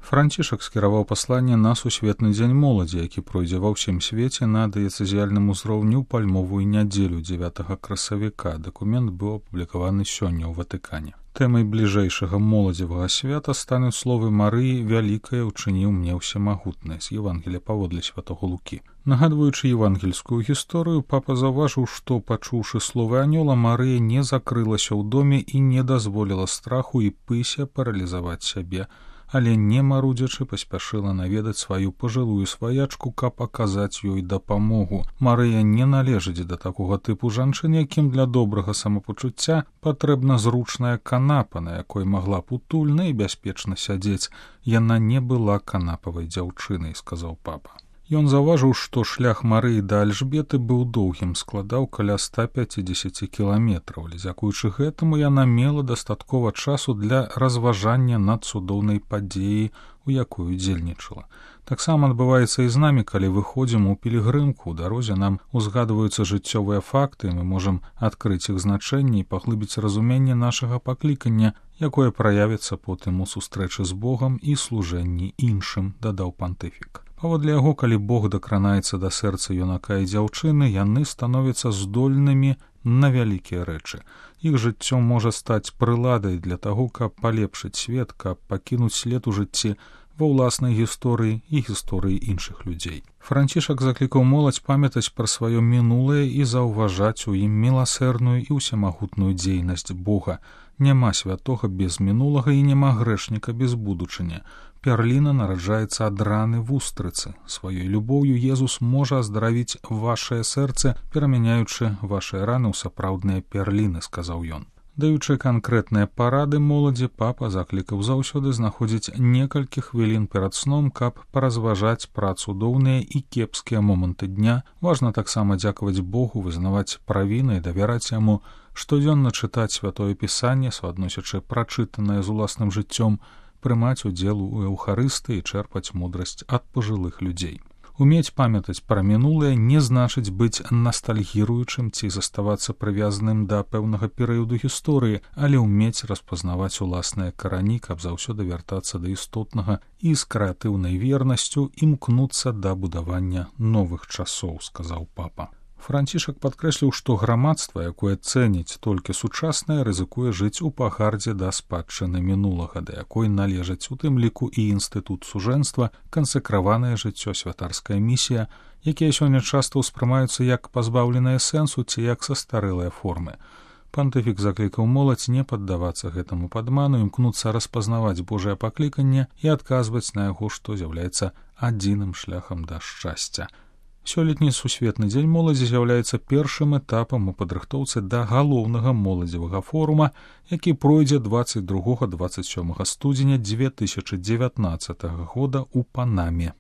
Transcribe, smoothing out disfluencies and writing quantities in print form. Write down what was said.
Францішак скіраваў пасланне на сусветны дзень моладзі, які пройдзе ва ўсім свеце на дыяцэзіяльным узроўні ў пальмовую нядзелю 9 красавіка. Дакумент быў апублікаваны сёння ў Ватыкане. Тэмай бліжэйшага моладзевага свята стануць словы Марыі «Вялікае учыніў мне ўсемагутнае» з Евангелія паводле святого Лукі. Нагадваючы евангельскую гісторыю, папа заўважыў, што, пачуўшы словы анёла, Марыя не закрылася ў доме і не дазволіла страху і пысе паралізаваць сябе, але не марудзячы паспяшыла наведаць сваю пажылую сваячку, каб аказаць ёй дапамогу. Марыя не належыць да такога тыпу жанчын, якім для добрага самапачуцця патрэбна зручная канапа, на якой магла б утульна і бяспечна сядзець. Яна не была канапавай дзяўчынай, сказаў папа. Ён заўважыў, што шлях Марыі да Альжбеты быў доўгім, складаў каля 150 кіламетраў, але дзякуючы гэтаму яна мела дастаткова часу для разважання над цудоўнай падзеяй, у якой удзельнічала. Таксама адбываецца і з намі, калі выходзім у пілігрымку. У дарозе нам узгадваюцца жыццёвыя факты, мы можам адкрыць іх значэнне і паглыбіць разуменне нашага паклікання, якое праявіцца потым у сустрэчы з Богам і служэнні іншым, дадаў пантыфік. Паводле яго, калі Бог дакранаецца да сэрца юнака і дзяўчыны, яны становяцца здольнымі на вялікія рэчы. Іх жыццё можа стаць прыладай для таго, каб палепшыць свет, каб пакінуць след у жыцці ва ўласнай гісторыі і гісторыі іншых людзей. Францішак заклікаў моладзь памятаць пра сваё мінулае і заўважаць у ім міласэрную і ўсемагутную дзейнасць Бога. Няма святога без мінулага і няма грэшніка без будучыні. Пярліна нараджаецца ад раны вустрыцы. Сваёй любоўю Езус можа аздаравіць вашае сэрца, перамяняючы вашыя раны ў сапраўдныя пярліны, сказаў ён. Даючы канкрэтныя парады моладзі, папа заклікаў заўсёды знаходзіць некалькі хвілін перад сном, каб паразважаць пра цудоўныя і кепскія моманты дня. Важна таксама дзякаваць Богу, вызнаваць правіны і давяраць яму, штодзённа чытаць святое пісанне, суадносячы прачытанае з уласным жыццём, прымаць удзел у эўхарыстыі і чэрпаць мудрасць ад пажылых людзей. Умець памятаць пра мінулае не значыць быць настальгіруючым ці заставацца прывязаным да пэўнага перыяду гісторыі, але ўмець распазнаваць уласныя карані, каб заўсёды вяртацца да істотнага і з крэатыўнай вернасцю імкнуцца да будавання новых часоў, сказаў папа. Францішак падкрэсліў, што грамадства, якое цэніць толькі сучаснае, рызыкуе жыць у пагардзе да спадчыны мінулага, да якой належаць у тым ліку і інстытут сужэнства, кансакраванае жыццё, святарская місія, якія сёння часта ўспрымаюцца як пазбаўленыя сэнсу ці як састарэлыя формы. Пантыфік заклікаў моладзь не паддавацца гэтаму падману, імкнуцца распазнаваць Божае пакліканне і адказваць на яго, што з'яўляецца адзіным шляхам да шчасця. Сёлетні сусветны дзень моладзі з'яўляецца першым этапам у падрыхтоўцы да галоўнага моладзевага форума, які пройдзе 22-27 студзеня 2019 года ў Панаме.